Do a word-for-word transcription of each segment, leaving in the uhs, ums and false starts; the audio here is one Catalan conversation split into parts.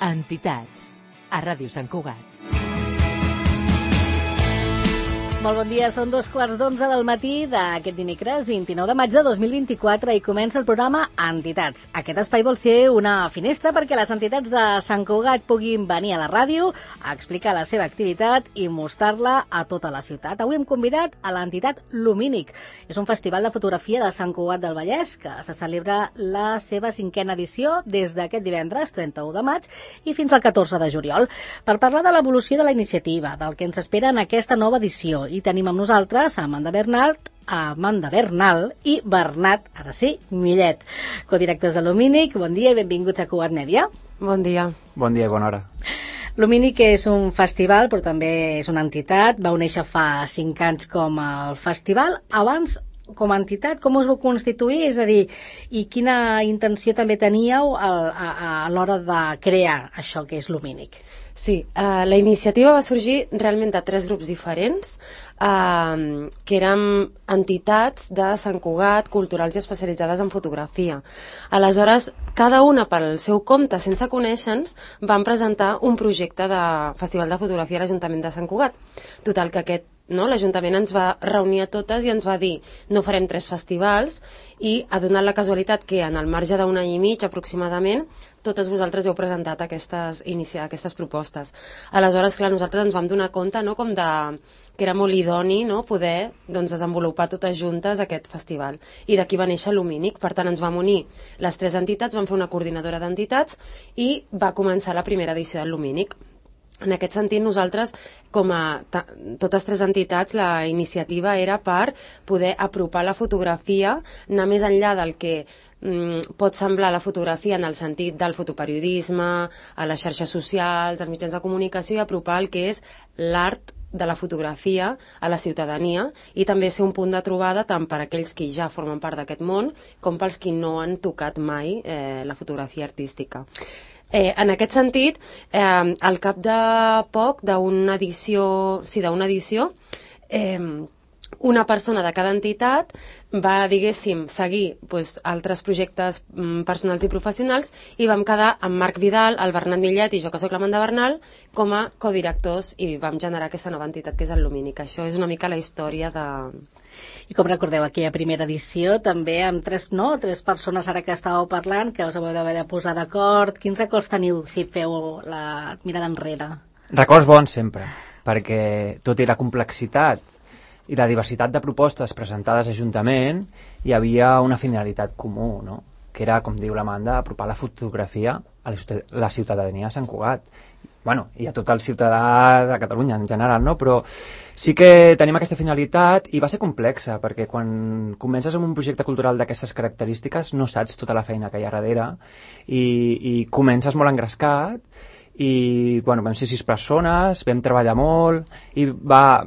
Entitats, a Ràdio Sant Cugat. Molt bon dia, són dos quarts d'onze del matí d'aquest dimecres vint-i-nou de maig de dos mil vint-i-quatre i comença el programa Entitats. Aquest espai vol ser una finestra perquè les entitats de Sant Cugat puguin venir a la ràdio a explicar la seva activitat i mostrar-la a tota la ciutat. Avui hem convidat a l'entitat Lumínic. És un festival de fotografia de Sant Cugat del Vallès que se celebra la seva cinquena edició des d'aquest divendres trenta-u de maig i fins al catorze de juliol. Per parlar de l'evolució de la iniciativa, del que ens espera en aquesta nova edició, i tenim amb nosaltres a Amanda Bernal, a Amanda Bernal i Bernat, ara sí, Millet, codirectors de Lumínic. Bon dia i benvinguts a Cugat Mèdia. Bon dia. Bon dia i bona hora. Lumínic és un festival, però també és una entitat. Va néixer fa cinc anys com el festival. Abans, com a entitat, com us vau constituir? És a dir, i quina intenció també teníeu a, a, a l'hora de crear això que és Lumínic? Sí, uh, la iniciativa va sorgir realment de tres grups diferents, uh, que eren entitats de Sant Cugat, culturals i especialitzades en fotografia. Aleshores, cada una pel seu compte, sense conèixer-nos, van presentar un projecte de Festival de Fotografia a l'Ajuntament de Sant Cugat. Total, que aquest No, l'Ajuntament ens va reunir a totes i ens va dir no farem tres festivals i ha donat la casualitat que en el marge d'un any i mig aproximadament totes vosaltres heu presentat aquestes, inicia, aquestes propostes. Aleshores, clar, nosaltres ens vam donar compte no, com de, que era molt idoni no, poder doncs, desenvolupar totes juntes aquest festival. I d'aquí va néixer Lumínic. Per tant, ens vam unir les tres entitats, vam fer una coordinadora d'entitats i va començar la primera edició del Lumínic. En aquest sentit, nosaltres, com a totes tres entitats, la iniciativa era per poder apropar la fotografia, anar més enllà del que mm, pot semblar la fotografia en el sentit del fotoperiodisme, a les xarxes socials, als mitjans de comunicació, i apropar el que és l'art de la fotografia a la ciutadania i també ser un punt de trobada tant per a aquells que ja formen part d'aquest món com pels que no han tocat mai eh, la fotografia artística. Eh, en aquest sentit, eh, al cap de poc, d'una edició, sí, d'una edició, eh, una persona de cada entitat va, diguéssim, seguir pues, altres projectes mm, personals i professionals i vam quedar amb Marc Vidal, el Bernat Millet i jo, que soc l'Amanda Bernal, com a codirectors i vam generar aquesta nova entitat que és el Lumínic. Això és una mica la història de... I com recordeu, aquí a primera edició també amb tres, no, tres persones ara que estàveu parlant, que us heu d'haver de posar d'acord. Quins records teniu si feu la mirada enrere? Records bons sempre, perquè tot i la complexitat i la diversitat de propostes presentades a l'Ajuntament hi havia una finalitat comú, no? Que era, com diu l'Amanda, apropar la fotografia a la ciutadania de Sant Cugat. Bueno, i a tot el ciutadà de Catalunya en general, no? Però sí que tenim aquesta finalitat i va ser complexa, perquè quan comences amb un projecte cultural d'aquestes característiques no saps tota la feina que hi ha darrere i, i comences molt engrescat i bueno, vam ser sis persones, vam treballar molt i va,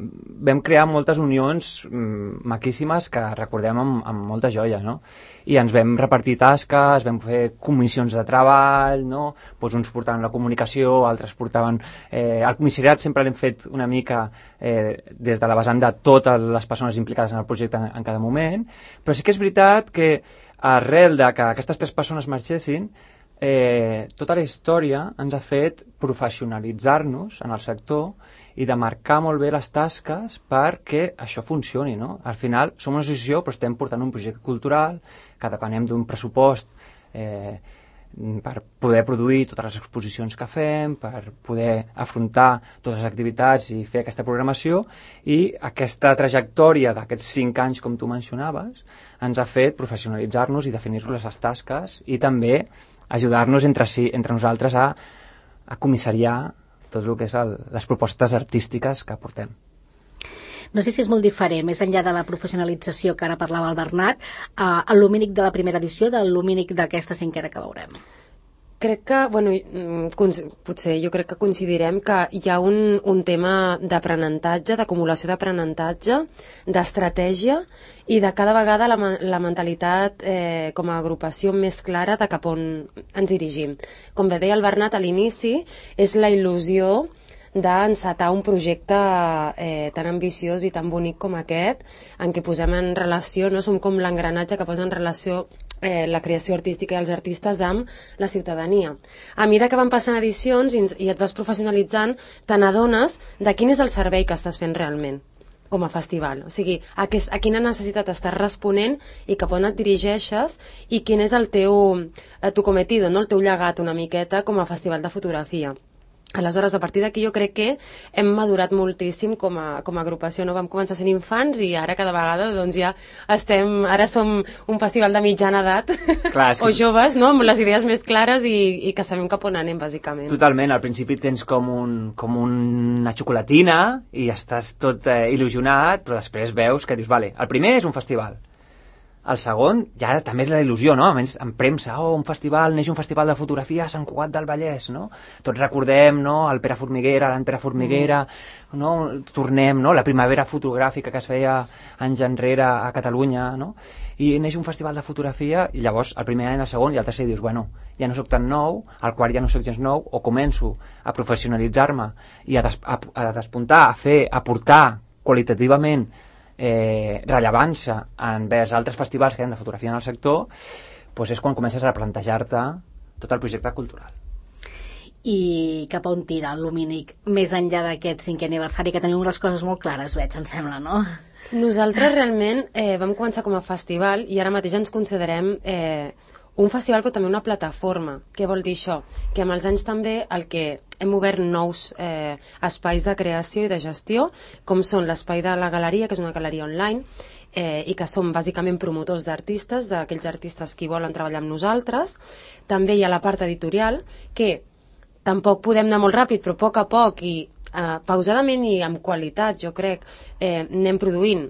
vam crear moltes unions mm, maquíssimes que recordem amb, amb molta joia, no? I ens vam repartir tasques, vam fer comissions de treball, no? Pues uns portaven la comunicació, altres portaven... Eh, el comissariat sempre l'hem fet una mica eh, des de la vessant de totes les persones implicades en el projecte en, en cada moment, però sí que és veritat que arrel de que aquestes tres persones marxessin, Eh, tota la història ens ha fet professionalitzar-nos en el sector i de marcar molt bé les tasques perquè això funcioni, no? Al final som una associació però estem portant un projecte cultural que depenem d'un pressupost eh, per poder produir totes les exposicions que fem, per poder afrontar totes les activitats i fer aquesta programació, i aquesta trajectòria d'aquests cinc anys, com tu mencionaves, ens ha fet professionalitzar-nos i definir-nos les tasques i també ajudar-nos entre, si, entre nosaltres a, a comissariar tot el que és el, les propostes artístiques que portem. No sé si és molt diferent, més enllà de la professionalització que ara parlava el Bernat, eh, el Lumínic de la primera edició del Lumínic d'aquesta cinquena que veurem. Crec que, bueno, potser jo crec que coincidirem que hi ha un, un tema d'aprenentatge, d'acumulació d'aprenentatge, d'estratègia i de cada vegada la, la mentalitat eh, com a agrupació més clara de cap on ens dirigim. Com bé deia el Bernat a l'inici, és la il·lusió d'encetar un projecte eh, tan ambiciós i tan bonic com aquest, en què posem en relació, no som com l'engranatge que posa en relació eh, la creació artística i els artistes amb la ciutadania. A mesura que van passant edicions i, i et vas professionalitzant, te n'adones de quin és el servei que estàs fent realment com a festival, o sigui, a, que, a quina necessitat estàs responent i cap on et dirigeixes i quin és el teu eh, tu cometido, no? El teu llegat una miqueta com a festival de fotografia. Aleshores, a partir d'aquí jo crec que hem madurat moltíssim com a, com a agrupació, no? Vam començar sent infants i ara cada vegada doncs ja estem, ara som un festival de mitjana edat Clar, o que... joves, no? Amb les idees més clares i, i que sabem cap on anem, bàsicament. Totalment, al principi tens com, un, com una xocolatina i estàs tot eh, il·lusionat, però després veus que dius, vale, el primer és un festival. El segon, ja també és la il·lusió, no? A més, en premsa, oh, un festival, neix un festival de fotografia a Sant Cugat del Vallès, no? Tots recordem, no?, el Pere Formiguera, l'Ant Pere Formiguera, mm. no? Tornem, no?, la primavera fotogràfica que es feia anys enrere a Catalunya, no? I neix un festival de fotografia i llavors el primer any, el segon i el tercer dius, bueno, ja no sóc tan nou, al quart ja no sóc gens nou, o començo a professionalitzar-me i a, des a, a despuntar, a fer, a portar qualitativament Eh, rellevància envers altres festivals que hi ha de fotografia en el sector, doncs és quan comences a replantejar-te tot el projecte cultural. I cap on tira el Lumínic més enllà d'aquest cinquè aniversari, que teniu unes coses molt clares, veig, em sembla, no? Nosaltres realment eh, vam començar com a festival i ara mateix ens considerem eh, un festival però també una plataforma. Què vol dir això? Que amb els anys també el que hem obert nous eh, espais de creació i de gestió, com són l'espai de la galeria, que és una galeria online, eh, i que som bàsicament promotors d'artistes, d'aquells artistes que volen treballar amb nosaltres. També hi ha la part editorial, que tampoc podem anar molt ràpid, però a poc a poc i eh, pausadament i amb qualitat, jo crec, eh, anem produint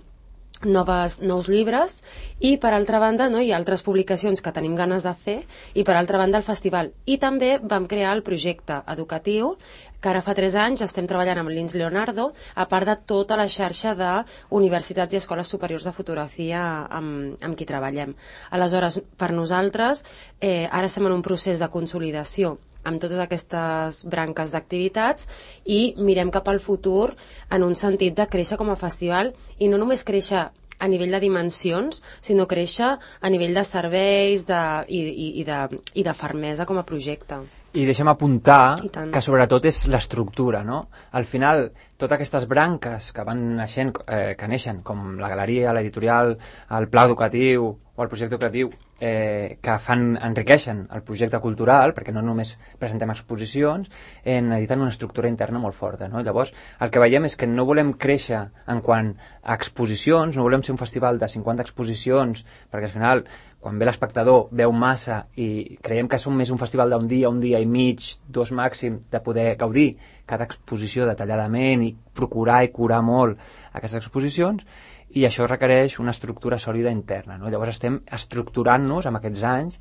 Noves, nous llibres i per altra banda no, hi ha altres publicacions que tenim ganes de fer i per altra banda el festival. I també vam crear el projecte educatiu que ara fa tres anys estem treballant amb l'I N S Leonardo, a part de tota la xarxa d'universitats i escoles superiors de fotografia amb, amb qui treballem. Aleshores, per nosaltres, eh, ara estem en un procés de consolidació amb totes aquestes branques d'activitats i mirem cap al futur en un sentit de créixer com a festival i no només créixer a nivell de dimensions, sinó créixer a nivell de serveis de, i, i, i, de, i de fermesa com a projecte. I deixa'm apuntar que sobretot és l'estructura, no? Al final, totes aquestes branques que van naixent, eh, que neixen, com la galeria, l'editorial, el pla educatiu o el projecte educatiu, eh, que fan, enriqueixen el projecte cultural, perquè no només presentem exposicions, eh, necessiten una estructura interna molt forta, no? Llavors, el que veiem és que no volem créixer en quant a exposicions, no volem ser un festival de cinquanta exposicions, perquè al final quan ve l'espectador veu massa i creiem que som més un festival d'un dia, un dia i mig, dos màxim, de poder gaudir cada exposició detalladament i procurar i curar molt aquestes exposicions, i això requereix una estructura sòlida interna, no? Llavors estem estructurant-nos amb aquests anys,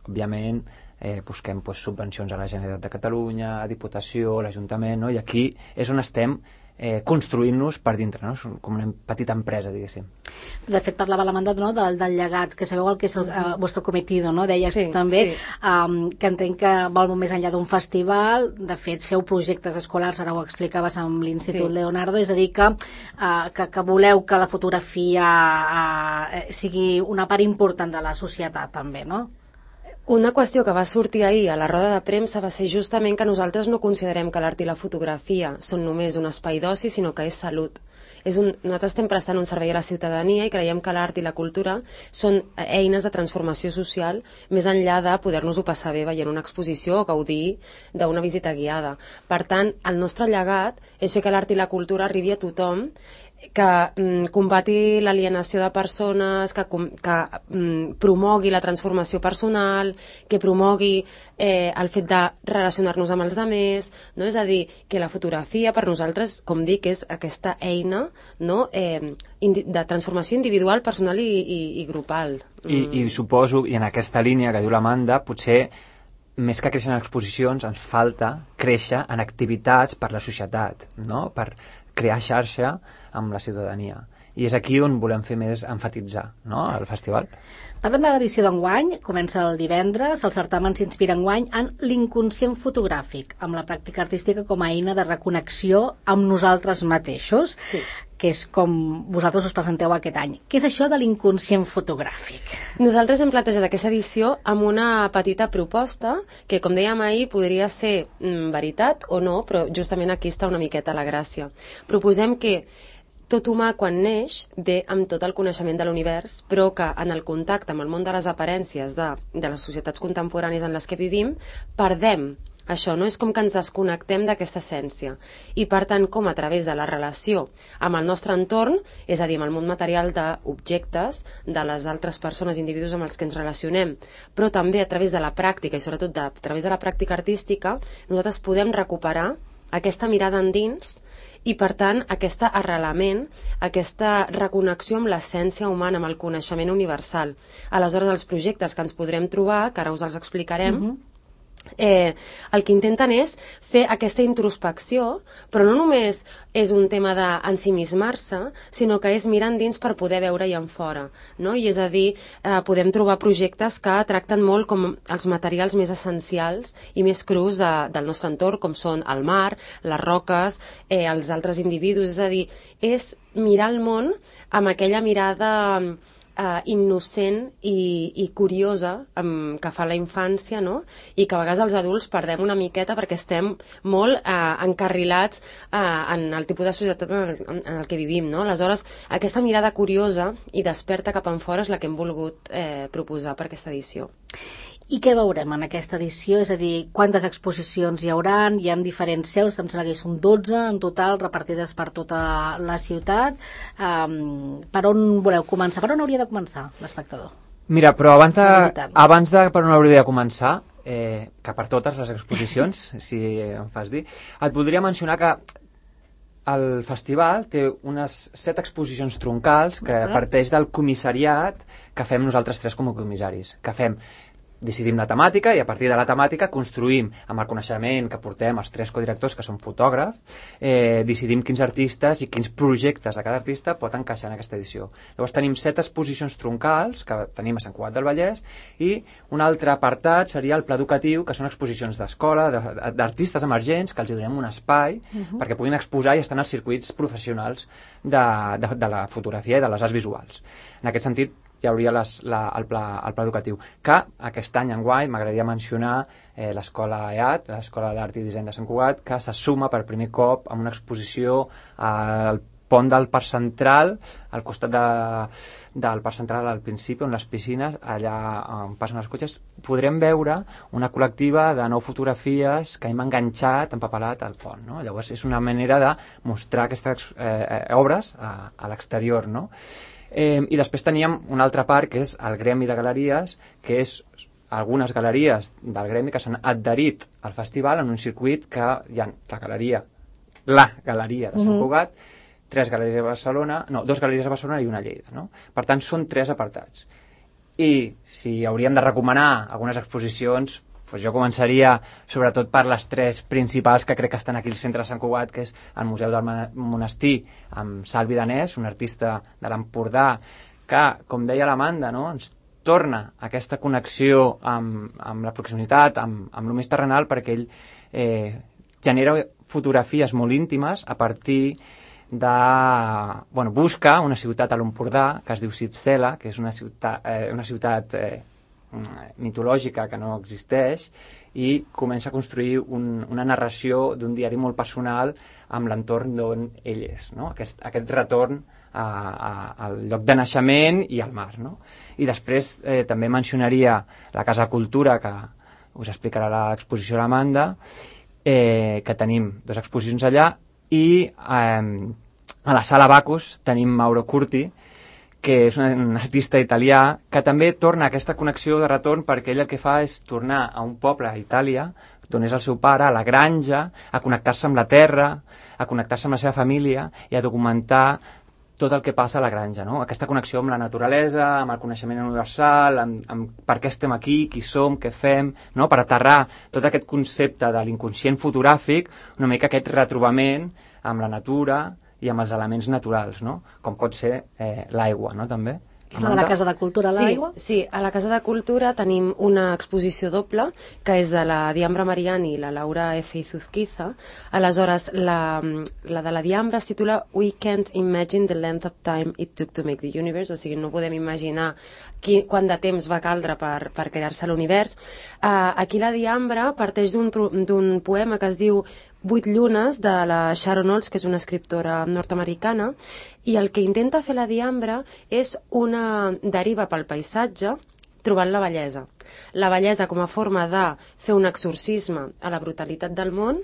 òbviament eh, busquem pues, subvencions a la Generalitat de Catalunya, a Diputació, a l'Ajuntament, no? I aquí és on estem eh, construint-nos per dintre, no? Com una petita empresa, diguéssim. De fet, parlava l'Amanda, no? del, del llegat, que sabeu el que és el, el vostre cometido, no? Deies sí, també sí. Um, que entenc que vol molt més enllà d'un festival, de fet, feu projectes escolars, ara ho explicaves amb l'Institut sí. Leonardo, és a dir, que, uh, que, que voleu que la fotografia uh, sigui una part important de la societat, també, no? Una qüestió que va sortir ahir a la roda de premsa va ser justament que nosaltres no considerem que l'art i la fotografia són només un espai d'oci, sinó que és salut. És un, nosaltres estem prestant un servei a la ciutadania i creiem que l'art i la cultura són eines de transformació social més enllà de poder-nos-ho passar bé veient una exposició o gaudir d'una visita guiada. Per tant, el nostre llegat és fer que l'art i la cultura arribi a tothom, que mm, combati l'alienació de persones, que, que mm, promogui la transformació personal, que promogui eh, el fet de relacionar-nos amb els altres, no? És a dir, que la fotografia per nosaltres, com dic, és aquesta eina, no? eh, de transformació individual, personal i, i, i grupal. I, mm. I suposo, i en aquesta línia que diu l'Amanda, potser més que créixer en exposicions ens falta créixer en activitats per la societat, no? Per crear xarxa amb la ciutadania. I és aquí on volem fer més enfatitzar, no?, el festival. Parlem de l'edició d'enguany, comença el divendres, el certamen s'inspira enguany en l'inconscient fotogràfic, amb la pràctica artística com a eina de reconnexió amb nosaltres mateixos. Sí. Que és com vosaltres us presenteu aquest any. Què és això de l'inconscient fotogràfic? Nosaltres hem plantejat aquesta edició amb una petita proposta que, com dèiem ahir, podria ser mm, veritat o no, però justament aquí està una miqueta la gràcia. Proposem que tot humà, quan neix, ve amb tot el coneixement de l'univers, però que en el contacte amb el món de les aparències de, de les societats contemporànies en les que vivim, perdem això, no? És com que ens desconnectem d'aquesta essència. I, per tant, com a través de la relació amb el nostre entorn, és a dir, amb el món material d'objectes, de les altres persones, individus amb els que ens relacionem, però també a través de la pràctica, i sobretot de, a través de la pràctica artística, nosaltres podem recuperar aquesta mirada endins i, per tant, aquest arrelament, aquesta reconnexió amb l'essència humana, amb el coneixement universal. Aleshores, els projectes que ens podrem trobar, que ara us els explicarem, uh-huh. Eh, el que intenten és fer aquesta introspecció, però no només és un tema d'ensimismar-se, sinó que és mirar endins per poder veure-hi en fora, no? I és a dir, eh, podem trobar projectes que tracten molt com els materials més essencials i més crus de, del nostre entorn, com són el mar, les roques, eh, els altres individus, és a dir, és mirar el món amb aquella mirada Uh, innocent i, i curiosa um, que fa la infància, no? I que a vegades els adults perdem una miqueta perquè estem molt uh, encarrilats uh, en el tipus de societat en el, en el que vivim, no? Aleshores, aquesta mirada curiosa i desperta cap enfora és la que hem volgut eh, proposar per aquesta edició. I què veurem en aquesta edició? És a dir, quantes exposicions hi hauran? Hi ha diferents seus, em sembla que són dotze en total, repartides per tota la ciutat. Um, per on voleu començar? Per on hauria de començar l'espectador? Mira, però abans de, abans de per on hauria de començar, eh, que per totes les exposicions, si em fas dir, et voldria mencionar que el festival té unes set exposicions troncals que uh-huh. parteix del comissariat que fem nosaltres tres com a comissaris, que fem decidim la temàtica i a partir de la temàtica construïm amb el coneixement que portem els tres codirectors que són fotògrafs, eh, decidim quins artistes i quins projectes de cada artista pot encaixar en aquesta edició. Llavors tenim set exposicions troncals que tenim a Sant Cugat del Vallès i un altre apartat seria el pla educatiu, que són exposicions d'escola, d'artistes emergents, que els donem un espai uh-huh. perquè puguin exposar i estar en els circuits professionals de, de, de la fotografia i de les arts visuals. En aquest sentit, hi hauria les, la, el, pla, el pla educatiu, que aquest any enguany m'agradaria mencionar eh, l'escola E A T, l'Escola d'Art i Disseny de Sant Cugat, que se suma per primer cop amb una exposició al pont del Parc Central, al costat de, del Parc Central al principi, on les piscines, allà on passen els cotxes, podrem veure una col·lectiva de nou fotografies que hem enganxat, empapelat al pont, no? Llavors és una manera de mostrar aquestes eh, obres a, a l'exterior, no? Eh, I després teníem una altra part que és el gremi de galeries, que és algunes galeries del gremi que s'han adherit al festival en un circuit que hi ha la galeria, la galeria de Sant Cugat, tres galeries a Barcelona, no, dos galeries a Barcelona i una a Lleida, no? Per tant, són tres apartats. I si hauríem de recomanar algunes exposicions, doncs jo començaria sobretot per les tres principals que crec que estan aquí al centre de Sant Cugat, que és el Museu del Monestir, amb Salvi Danés, un artista de l'Empordà, que, com deia l'Amanda, no? Ens torna aquesta connexió amb, amb la proximitat, amb, amb el més terrenal, perquè ell eh, genera fotografies molt íntimes a partir de... Bueno, busca una ciutat a l'Empordà, que es diu Sipsela, que és una ciutat, eh, una ciutat eh, mitològica que no existeix, i comença a construir un, una narració d'un diari molt personal amb l'entorn d'on ell és, no? Aquest, aquest retorn a, a, al lloc de naixement i al mar, no? I després eh, també mencionaria la Casa Cultura, que us explicarà l'exposició a l'Amanda, eh, que tenim dues exposicions allà, i eh, a la Sala Bacus tenim Mauro Curti, que és un artista italià, que també torna a aquesta connexió de retorn, perquè ell el que fa és tornar a un poble a Itàlia, d'on és el seu pare, a la granja, a connectar-se amb la terra, a connectar-se amb la seva família i a documentar tot el que passa a la granja, no? Aquesta connexió amb la naturalesa, amb el coneixement universal, amb, amb per què estem aquí, qui som, què fem, no? Per aterrar tot aquest concepte de l'inconscient fotogràfic, una mica aquest retrobament amb la natura i amb els elements naturals, no? Com pot ser eh, l'aigua, no? També Que és la de la Casa de Cultura a l'Aigua? Sí, sí, a la Casa de Cultura tenim una exposició doble, que és de la Diambra Mariani i la Laura F. Izuzquiza. Aleshores, la, la de la Diambra es titula We Can't Imagine the Length of Time It Took to Make the Universe, o sigui, no podem imaginar qui, quant de temps va caldre per, per crear-se l'univers. Uh, aquí la Diambra parteix d'un d'un poema que es diu Vuit llunes, de la Sharon Olds, que és una escriptora nord-americana, i el que intenta fer la Diambra és una deriva pel paisatge trobant la bellesa. La bellesa com a forma de fer un exorcisme a la brutalitat del món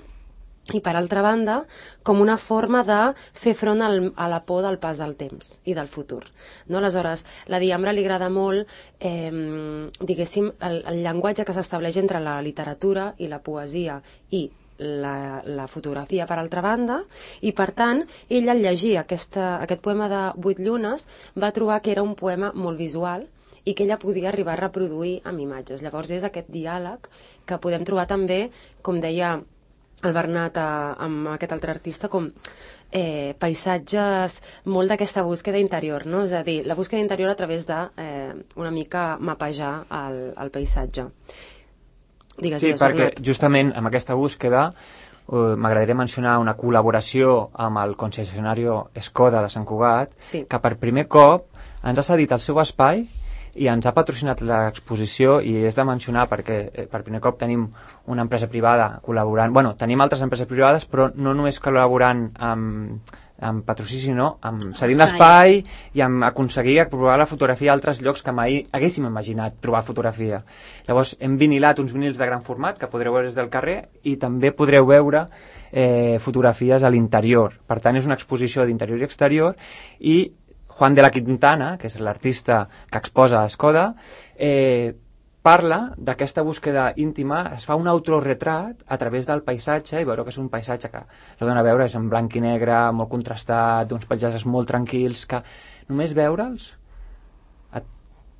i, per altra banda, com una forma de fer front al, a la por del pas del temps i del futur. No? Aleshores, la Diambra li agrada molt, eh, diguéssim, el, el llenguatge que s'estableix entre la literatura i la poesia i La, la fotografia, per altra banda, i per tant ella al llegir aquesta, aquest poema de Vuit llunes va trobar que era un poema molt visual i que ella podia arribar a reproduir amb imatges. Llavors és aquest diàleg que podem trobar també, com deia el Bernat a, amb aquest altre artista, com eh, paisatges molt d'aquesta búsqueda interior, no? És a dir, la búsqueda interior a través de eh, una mica mapejar el, el paisatge. Digues, sí, digues, perquè Bernat. justament amb aquesta búsqueda uh, m'agradaria mencionar una col·laboració amb el concessionari Skoda de Sant Cugat, sí. que per primer cop ens ha cedit el seu espai i ens ha patrocinat l'exposició, i és de mencionar perquè eh, per primer cop tenim una empresa privada col·laborant, bueno, tenim altres empreses privades, però no només col·laborant amb, amb patrocini, sinó amb cedint l'espai i amb aconseguir aprovar la fotografia a altres llocs que mai haguéssim imaginat trobar fotografia. Llavors hem vinilat uns vinils de gran format que podreu veure des del carrer i també podreu veure eh, fotografies a l'interior. Per tant, és una exposició d'interior i exterior, i Juan de la Quintana, que és l'artista que exposa a Skoda, eh, parla d'aquesta búsqueda íntima, es fa un autorretrat a través del paisatge, i veureu que és un paisatge que l'heu d'anar a veure, és en blanc i negre, molt contrastat, d'uns paisatges molt tranquils, que només veure'ls et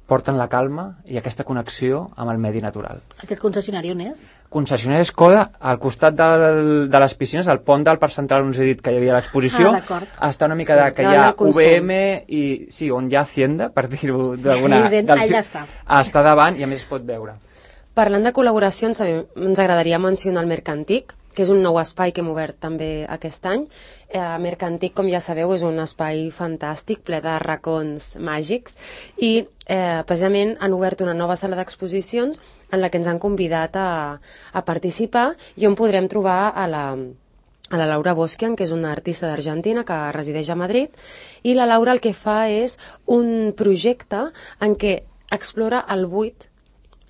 porten la calma i aquesta connexió amb el medi natural. Aquest concessionari on és? Concessionari Skoda, al costat del, de les piscines, al pont del Parc Central on us he dit que hi havia l'exposició, ah, està una mica sí, de que hi ha consum. U V M i sí, on hi ha Hacienda, per dir-ho d'alguna... Sí, allà està. Està davant i a més es pot veure. Parlant de col·laboracions, ens agradaria mencionar el Mercantic, que és un nou espai que hem obert també aquest any. Eh, Mercantic, com ja sabeu, és un espai fantàstic, ple de racons màgics, i eh, precisament han obert una nova sala d'exposicions en la que ens han convidat a, a participar, i on podrem trobar a la, a la Laura Boskian, que és una artista d'Argentina que resideix a Madrid, i la Laura el que fa és un projecte en què explora el buit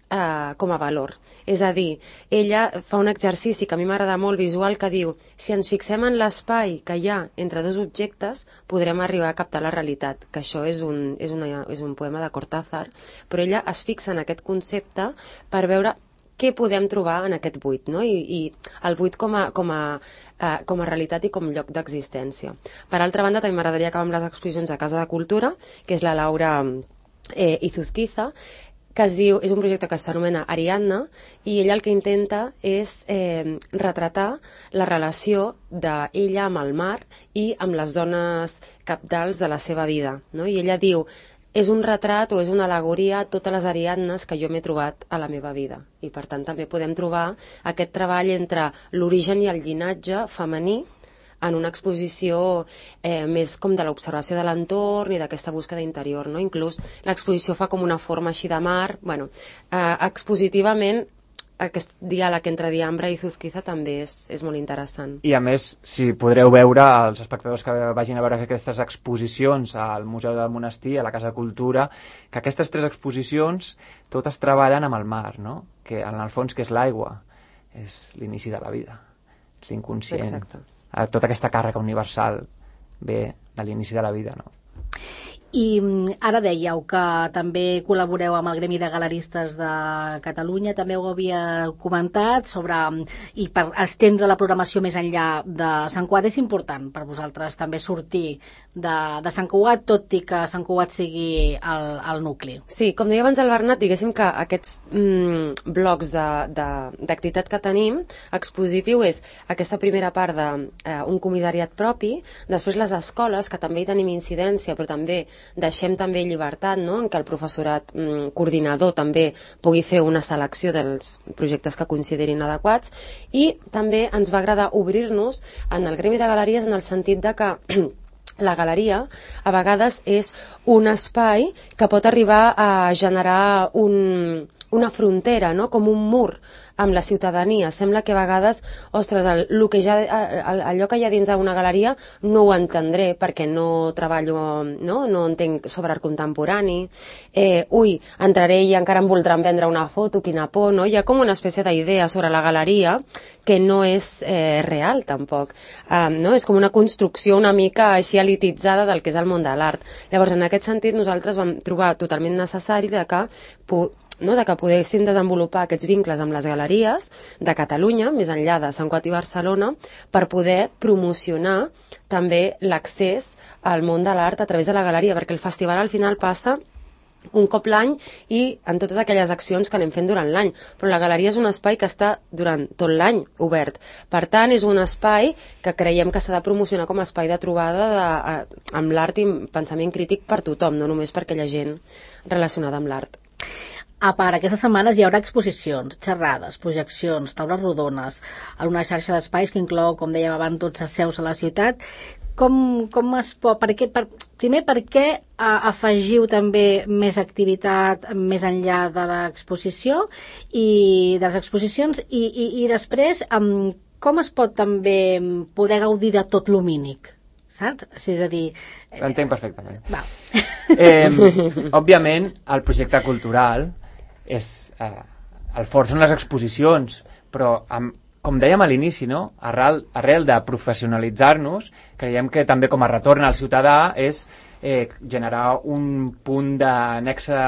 Uh, com a valor. És a dir, ella fa un exercici que a mi m'agrada molt visual, que diu, si ens fixem en l'espai que hi ha entre dos objectes, podrem arribar a captar la realitat, que això és un, és una, és un poema de Cortázar, però ella es fixa en aquest concepte per veure què podem trobar en aquest buit, no? I, i el buit com a, com a uh, com a realitat i com lloc d'existència. Per altra banda, també m'agradaria acabar amb les exposicions a Casa de Cultura, que és la Laura eh, Izuzquiza, que es diu, és un projecte que s'anomena Ariadna, i ella el que intenta és eh, retratar la relació d'ella amb el mar i amb les dones cabdals de la seva vida, no? I ella diu, és un retrat o és una al·legoria a totes les Ariadnes que jo m'he trobat a la meva vida, i per tant també podem trobar aquest treball entre l'origen i el llinatge femení en una exposició eh, més com de l'observació de l'entorn i d'aquesta búsqueda interior, no? Inclús l'exposició fa com una forma així de mar. Bueno, eh, expositivament aquest diàleg entre Diambra i Izuzquiza també és, és molt interessant. I a més, si podreu veure, els espectadors que vagin a veure aquestes exposicions al Museu del Monestir, a la Casa de Cultura, que aquestes tres exposicions totes treballen amb el mar, no? Que en el fons que és l'aigua, és l'inici de la vida, és l'inconscient. Exacte. Tota aquesta càrrega universal ve de l'inici de la vida, no? I ara dèieu que també col·laboreu amb el Gremi de Galeristes de Catalunya, també ho havia comentat, sobre, i per estendre la programació més enllà de Sant Cugat és important per vosaltres també sortir de, de Sant Cugat, tot i que Sant Cugat sigui el, el nucli. Sí, com deia abans el Bernat, diguéssim que aquests mm, blocs d'activitat que tenim, expositiu, és aquesta primera part d'un eh, comissariat propi, després les escoles, que també hi tenim incidència, però també deixem també llibertat, no?, en què el professorat mm, coordinador també pugui fer una selecció dels projectes que considerin adequats, i també ens va agradar obrir-nos en el gremi de galeries en el sentit de que la galeria a vegades és un espai que pot arribar a generar un, una frontera, no?, com un mur amb la ciutadania. Sembla que a vegades, ostres, el, el que ja, el, allò que hi ha dins d'una galeria no ho entendré perquè no treballo, no, no entenc sobre art contemporani, eh, ui, entraré i encara em voldran vendre una foto, quina por, no? Hi ha com una espècie d'idea sobre la galeria que no és eh, real tampoc, um, no? És com una construcció una mica així elititzada del que és el món de l'art. Llavors, en aquest sentit, nosaltres vam trobar totalment necessari de que no, de que poguessin desenvolupar aquests vincles amb les galeries de Catalunya, més enllà de Sant Cugat i Barcelona, per poder promocionar també l'accés al món de l'art a través de la galeria, perquè el festival al final passa un cop l'any i en totes aquelles accions que anem fent durant l'any, però la galeria és un espai que està durant tot l'any obert. Per tant, és un espai que creiem que s'ha de promocionar com a espai de trobada de, a, amb l'art i pensament crític per tothom, no només per aquella gent relacionada amb l'art. A part, aquestes setmanes hi haurà exposicions, xerrades, projeccions, taules rodones, en una xarxa d'espais que inclou, com dèiem abans, dotze seus a la ciutat. Com, com es pot... Per què, per, primer, per què a, afegiu també més activitat més enllà de l'exposició i de les exposicions i, i, i després, um, com es pot també poder gaudir de tot l'humínic? Saps? És a dir... Eh... L'entenc perfectament. Va. Eh, òbviament, el projecte cultural és, eh, el fort són les exposicions, però amb, com dèiem a l'inici, no? arrel, arrel de professionalitzar-nos, creiem que també com a retorn al ciutadà és eh, generar un punt de nexe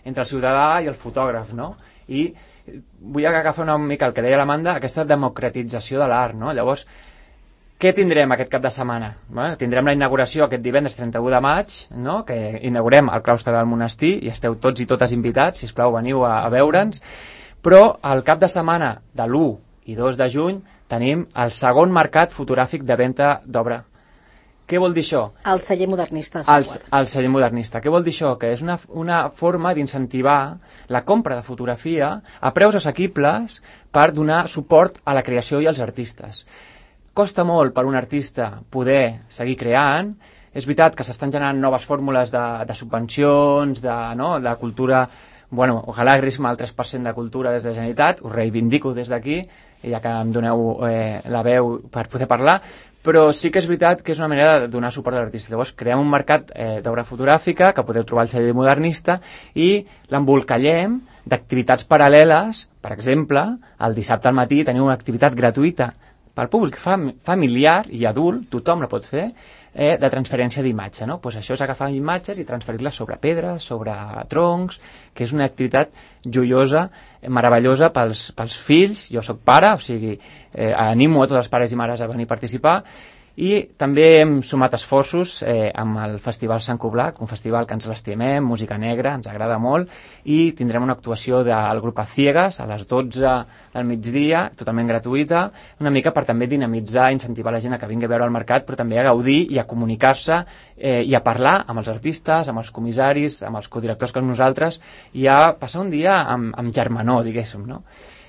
entre el ciutadà i el fotògraf, no? I vull agafar una mica el que deia l'Amanda, aquesta democratització de l'art, no? Llavors, què tindrem aquest cap de setmana? Bueno, tindrem la inauguració aquest divendres trenta-u de maig, no? Que inaugurem el claustre del monestir i esteu tots i totes invitats, sisplau, veniu a, a veure'ns. Però el cap de setmana de l'u i dos de juny tenim el segon mercat fotogràfic de venda d'obra. Què vol dir això? El celler modernista. El, el celler modernista. Què vol dir això? Que és una, una forma d'incentivar la compra de fotografia a preus assequibles per donar suport a la creació i als artistes. Costa molt per un artista poder seguir creant. És veritat que s'estan generant noves fórmules de, de subvencions, de, no, de cultura. Bueno, ojalà haguéssim el tres per cent de cultura des de la Generalitat, us reivindico des d'aquí, ja que em doneu eh, la veu per poder parlar, però sí que és veritat que és una manera de donar suport a l'artista. Llavors creem un mercat eh, d'obra fotogràfica que podeu trobar al celler modernista i l'embolcallem d'activitats paral·leles. Per exemple, el dissabte al matí teniu una activitat gratuïta pel públic fam familiar i adult, tothom la pot fer, eh, de transferència d'imatge, no? Pues això és agafar imatges i transferir-les sobre pedres, sobre troncs, que és una activitat joiosa, meravellosa pels, pels fills. Jo sóc pare, o sigui, eh, animo a tots els pares i mares a venir a participar. I també hem sumat esforços eh, amb el Festival Sant Coblac, un festival que ens l'estimem, música negra, ens agrada molt, i tindrem una actuació del grup A Ciegas a les dotze del migdia, totalment gratuïta, una mica per també dinamitzar, incentivar la gent a que vingui a veure el mercat, però també a gaudir i a comunicar-se eh, i a parlar amb els artistes, amb els comissaris, amb els codirectors com nosaltres, i a passar un dia amb, amb germanor, diguéssim, no?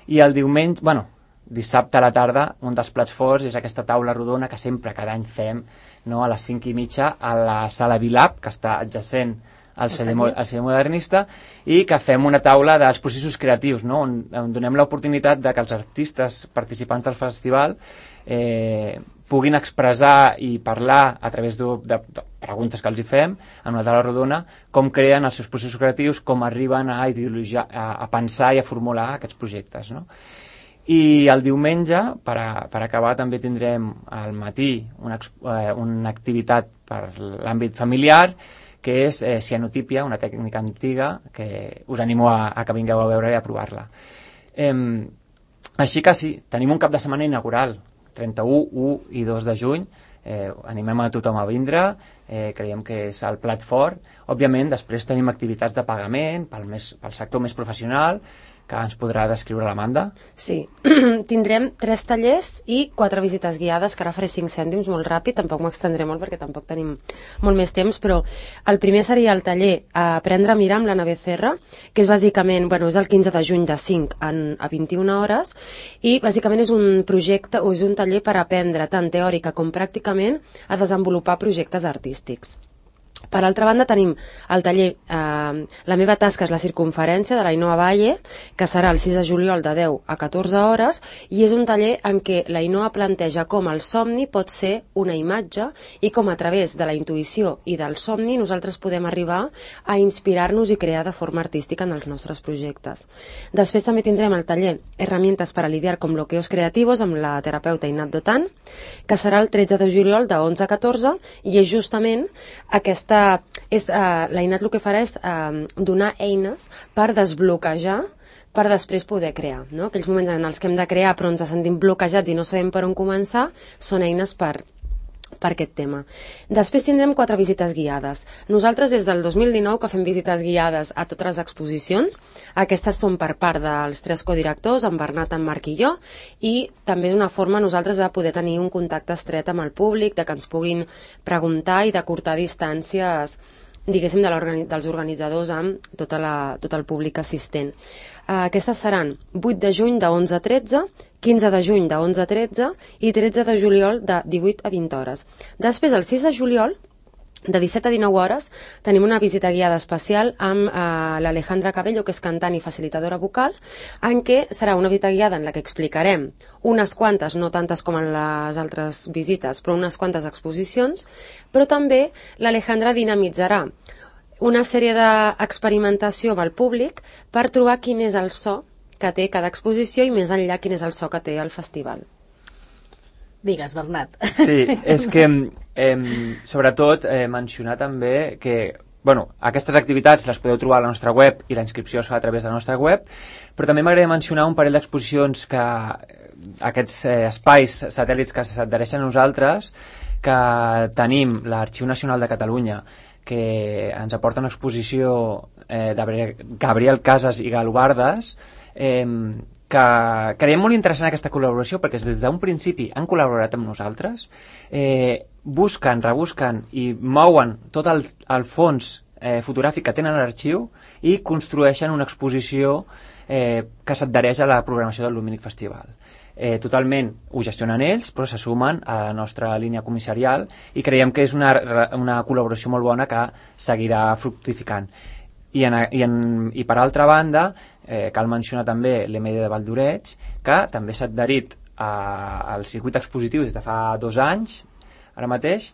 I el diumenge, bueno, dissabte a la tarda, un dels plats forts és aquesta taula rodona que sempre, cada any fem, no, a les cinc i mitja a la sala Vilap, que està adjacent al celler, al celler modernista, i que fem una taula dels processos creatius, no, on, on donem l'oportunitat de que els artistes participants del festival eh, puguin expressar i parlar a través de, de, de preguntes que els hi fem en una taula rodona, com creen els seus processos creatius, com arriben a ideologia, a, a pensar i a formular aquests projectes, no? I el diumenge, per, a, per acabar, també tindrem al matí una, eh, una activitat per l'àmbit familiar, que és eh, cianotípia, una tècnica antiga, que us animo a, a que vingueu a veure i a provar-la. Eh, així que sí, tenim un cap de setmana inaugural, trenta-u, u i dos de juny, eh, animem a tothom a vindre, eh, creiem que és el plat fort. Òbviament, després tenim activitats de pagament pel, més, pel sector més professional, que ens podrà descriure l'Amanda. Sí, tindrem tres tallers i quatre visites guiades, que ara faré cinc cèntims molt ràpid, tampoc m'extendré molt perquè tampoc tenim molt més temps, però el primer seria el taller Aprendre a mirar amb l'Anna Becerra, que és bàsicament, bueno, és el quinze de juny de cinc a vint-i-una hores, i bàsicament és un projecte, o és un taller per aprendre tant teòrica com pràcticament a desenvolupar projectes artístics. Per altra banda tenim el taller eh, La meva tasca és la circunferència de l'Ainoa Valle, que serà el sis de juliol de deu a catorze hores, i és un taller en què l'Ainoa planteja com el somni pot ser una imatge i com a través de la intuïció i del somni nosaltres podem arribar a inspirar-nos i crear de forma artística en els nostres projectes. Després també tindrem el taller Herramientas para lidiar con bloqueos creativos amb la terapeuta Inat Dotan, que serà el tretze de juliol de onze a catorze, i és justament aquesta és, uh, la Inat el que farà és uh, donar eines per desbloquejar per després poder crear, no? Aquells moments en els que hem de crear però ens sentim bloquejats i no sabem per on començar són eines per, per aquest tema. Després tindrem quatre visites guiades. Nosaltres des del dos mil dinou que fem visites guiades a totes les exposicions. Aquestes són per part dels tres codirectors, en Bernat, en Marc i jo, i també és una forma nosaltres de poder tenir un contacte estret amb el públic, de que ens puguin preguntar i d'acurtar distàncies, diguéssim, de l'organi- dels organitzadors amb tota la, tot el públic assistent. Uh, aquestes seran vuit de juny de onze a tretze, quinze de juny de onze a tretze i tretze de juliol de divuit a vint hores. Després, el sis de juliol, de disset a dinou hores, tenim una visita guiada especial amb uh, l'Alejandra Cabello, que és cantant i facilitadora vocal, en què serà una visita guiada en la que explicarem unes quantes, no tantes com en les altres visites, però unes quantes exposicions, però també l'Alejandra dinamitzarà una sèrie d'experimentació amb el públic per trobar quin és el so que té cada exposició i més enllà quin és el so que té el festival. Digues, Bernat. Sí, és que eh, sobretot eh, mencionar també que bueno, aquestes activitats les podeu trobar a la nostra web i la inscripció es fa a través de la nostra web, però també m'agradaria mencionar un parell d'exposicions que aquests eh, espais satèl·lits que s'adhereixen a nosaltres, que tenim l'Arxiu Nacional de Catalunya, que ens aporta una exposició eh, de Gabriel Casas i Galobardes, eh, que creiem molt interessant aquesta col·laboració perquè des d'un principi han col·laborat amb nosaltres, eh, busquen, rebusquen i mouen tot el, el fons eh, fotogràfic que tenen a l'arxiu i construeixen una exposició eh, que s'adhereix a la programació del Lumínic Festival. Eh, totalment ho gestionen ells, però se sumen a la nostra línia comissarial i creiem que és una, una col·laboració molt bona que seguirà fructificant. I, en, i, en, i per altra banda, eh, cal mencionar també l'E M D de Valldoreix, que també s'ha adherit a, al circuit expositiu des de fa dos anys, ara mateix,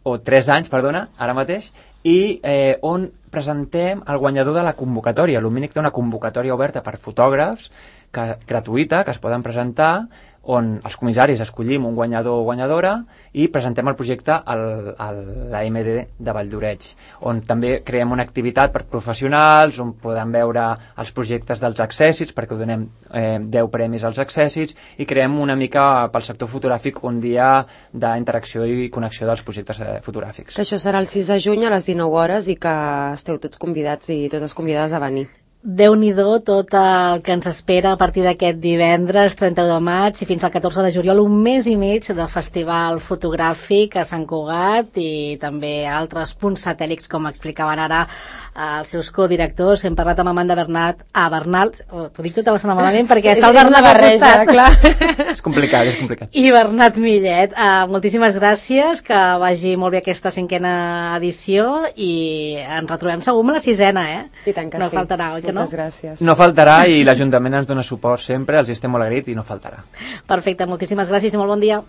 o tres anys, perdona, ara mateix, i eh, on presentem el guanyador de la convocatòria. Lumínic té una convocatòria oberta per fotògrafs que, gratuïta, que es poden presentar, on els comissaris escollim un guanyador o guanyadora i presentem el projecte a la M D de Valldoreix, on també creem una activitat per professionals, on podem veure els projectes dels accèssits, perquè donem eh, deu premis als accèssits, i creem una mica pel sector fotogràfic un dia d'interacció i connexió dels projectes eh, fotogràfics. Que això serà el sis de juny a les dinou hores i que esteu tots convidats i totes convidades a venir. Déu-n'hi-do tot el que ens espera a partir d'aquest divendres trenta-u de maig i fins al catorze de juliol, un mes i mig de festival fotogràfic a Sant Cugat i també altres punts satèl·lics, com explicaven ara els seus codirectors. Hem parlat amb Amanda Bernat, a Bernal, oh, t'ho dic tota la setmana malament perquè està el Bernat al costat. Clar. És complicat, és complicat. I Bernat Millet, uh, moltíssimes gràcies, que vagi molt bé aquesta cinquena edició i ens retrobem segur amb la sisena, eh? I tant que no sí. faltarà, oi que no? Moltes gràcies. No faltarà i l'Ajuntament ens dona suport sempre, els estem molt agraïts i no faltarà. Perfecte, moltíssimes gràcies i molt bon dia.